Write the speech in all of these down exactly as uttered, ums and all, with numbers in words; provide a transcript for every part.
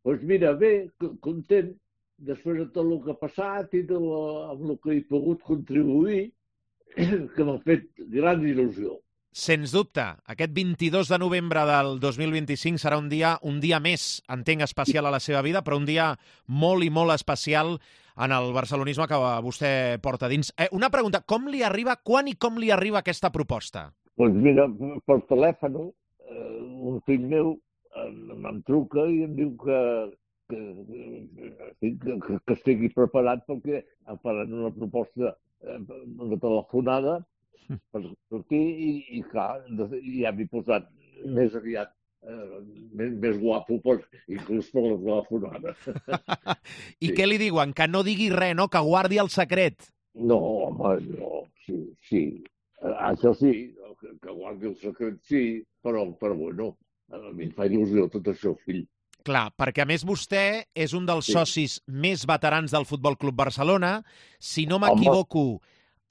Doncs mira, bé, content, després de tot el que ha passat i de la, amb el que he pogut contribuir, que m'ha fet gran il·lusió. Sens dubte, aquest vint-i-dos de novembre del dos mil vint-i-cinc serà un dia, un dia més, entenc, especial a la seva vida, però un dia molt i molt especial en el barcelonisme que vostè porta dins. Eh, una pregunta, com li arriba, quan i com li arriba aquesta proposta? Doncs mira, per telèfon, eh, un fill meu em truca i em diu que, que, que, que estigui preparat perquè em faran una proposta, una telefonada per sortir i, i clar, ja m'he posat més aviat, eh, més, més guapo, pues, inclús per la telefonada. I sí. Què li diuen? Que no digui res, no? Que guardi el secret? No, home, no, sí, sí. Això sí, que, que guardi el secret sí, però, però bueno, a mi em fa il·lusió tot això, fill. Clar, perquè a més vostè és un dels sí. socis més veterans del Futbol Club Barcelona. Si no m'equivoco,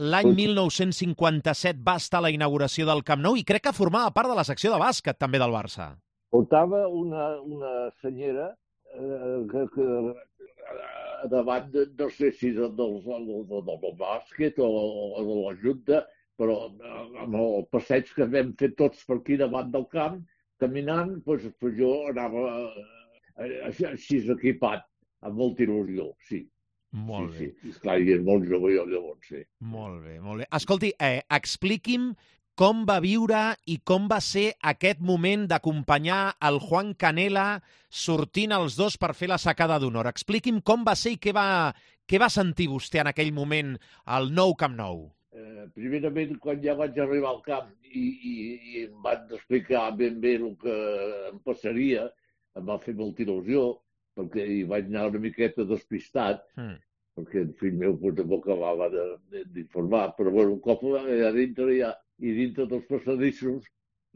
l'any mil nou-cents cinquanta-set va estar a la inauguració del Camp Nou i crec que formava part de la secció de bàsquet també del Barça. Portava una, una senyera eh, que, que davant, de, no sé si del, del, del, del bàsquet o, o de la Junta, però amb el passeig que vam fer tots per aquí davant del camp, caminant, doncs, jo anava així equipat, amb molta il·lusió, sí. Molt sí, bé. Sí, esclar, i és molt jove jo llavors, sí. Molt bé, molt bé. Escolti, eh, expliqui'm com va viure i com va ser aquest moment d'acompanyar el Juan Canela sortint els dos per fer la sacada d'honor. Expliqui'm com va ser i què va, què va sentir vostè en aquell moment al nou Camp Nou. Eh, primerament, quan ja vaig arribar al camp i, i, i em van explicar ben bé el que em passaria, em va fer molta il·lusió, perquè hi vaig anar una miqueta despistat, mm. perquè el fill meu tampoc acabava d'informar, però bueno, un cop a dintre ja, i dintre dels passadissos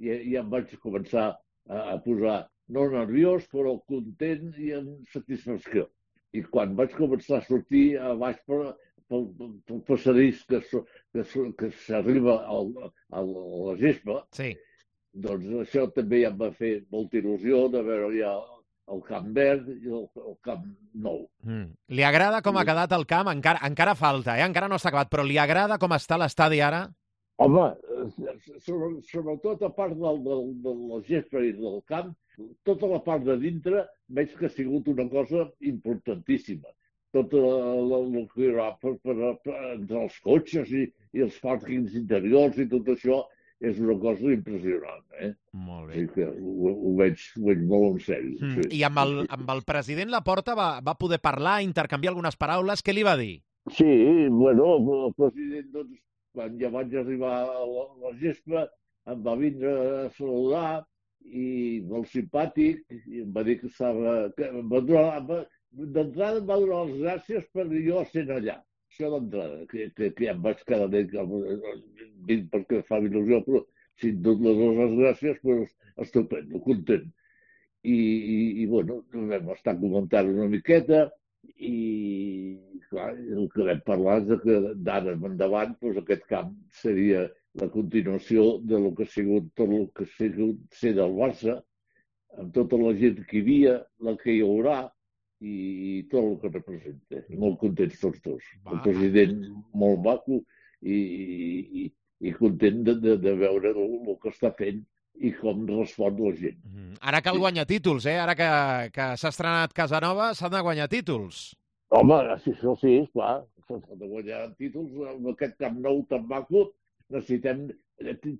ja, ja em vaig començar a, a posar no nerviós, però content i amb satisfacció. I quan vaig començar a sortir a baix per, pel, pel passadís que, que, que s'arriba al, a la gespa, sí. doncs això també ja em va fer molta il·lusió de veure ja el Camp Verd i el, el Camp Nou. Mm. Li agrada com ha quedat el camp? Encara, encara falta, eh? Encara no està acabat, però li agrada com està l'estadi ara? Home, sobre, sobretot a part del, del, de la gespa i del camp, tota la part de dintre veig que ha sigut una cosa importantíssima. Tot el que hi ha per, per, per, entre els cotxes i, i els pàrquings interiors i tot això, és una cosa impressionant, eh? Molt bé. I que ho, ho, veig, ho veig molt en sèrio. Mm. Sí. I amb el, amb el president Laporta va, va poder parlar, intercanviar algunes paraules. Què li va dir? Sí, bueno, el president, doncs, quan ja vaig arribar a la, a la gespa, em va vindre a saludar i molt simpàtic, i em va dir que estava... Que em va donar, d'entrada em va donar les gràcies per jo sent allà. Això d'entrada, que, que, que ja em vaig quedar bé, vinc perquè fa il·lusió, però si et dono les gràcies, doncs estupendo, content. I, i, i bueno, vam estar comentant una miqueta i, clar, el que vam parlar és que d'ara endavant doncs aquest camp seria la continuació de lo que ha sigut tot el que ha sigut ser del Barça, amb tota la gent que hi havia, la que hi haurà, i tot el que representa. Molt contents tots dos. Va. El president molt maco i, i, i content de, de, de veure el, el que està fent i com respon la gent. Mm. Ara cal guanyar títols, eh? Ara que, que s'ha estrenat Casanova, s'han de guanyar títols. Home, si això sí, esclar, s'han de guanyar títols. Amb aquest Camp Nou tan maco necessitem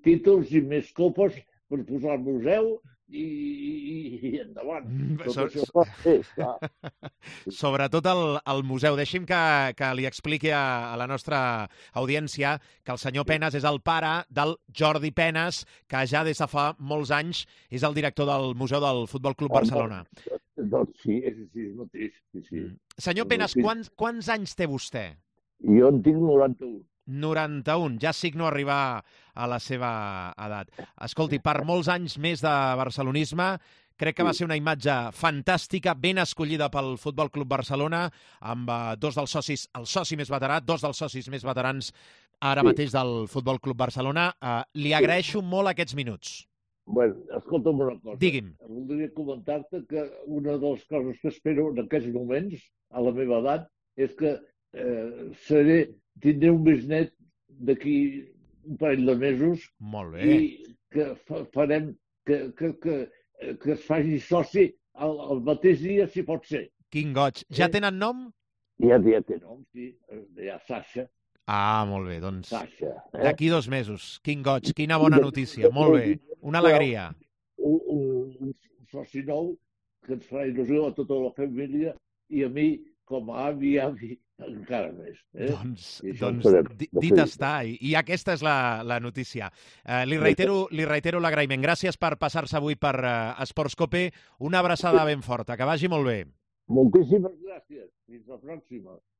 títols i més copes per posar al museu i, i, i endavant. Tot so, això fa fer, clar. Sobretot el, el museu. Deixi'm que, que li expliqui a, a la nostra audiència que el senyor Penas és el pare del Jordi Penas, que ja des de fa molts anys és el director del Museu del Futbol Club Barcelona. Doncs sí, és així mateix. Sí, sí. Senyor Penas, quants, quants anys té vostè? Jo en tinc noranta-un. noranta-un, ja signo arribar a la seva edat. Escolti, per molts anys més de barcelonisme, crec que va ser una imatge fantàstica, ben escollida pel Futbol Club Barcelona, amb uh, dos dels socis, el soci més veterà, dos dels socis més veterans ara sí. mateix del Futbol Club Barcelona. Uh, li agraeixo sí. molt aquests minuts. Bueno, escolta'm una cosa. Digui'm. Voldria comentar-te que una de les coses que espero en aquests moments, a la meva edat, és que eh, seré, tindré un bisnet d'aquí un parell de mesos. Molt bé. I que fa, farem que, que, que, que es faci soci el, el mateix dia, si pot ser. Quin goig. Ja Eh? tenen nom? Ja, ja té nom, sí. Ja Sasha. Ah, molt bé, doncs Sasha. Eh? d'aquí dos mesos. Quin goig, quina bona notícia. Molt bé, una alegria. Un, un, un soci nou que ens farà il·lusió a tota la família i a mi, com a avi i avi, encara més. Eh? Doncs, I això doncs ho farem. di- dit està, i, i aquesta és la, la notícia. Eh, li reitero li reitero l'agraïment. Gràcies per passar-se avui per eh, Esports Cope. Una abraçada ben forta, que vagi molt bé. Moltíssimes gràcies. Fins la pròxima.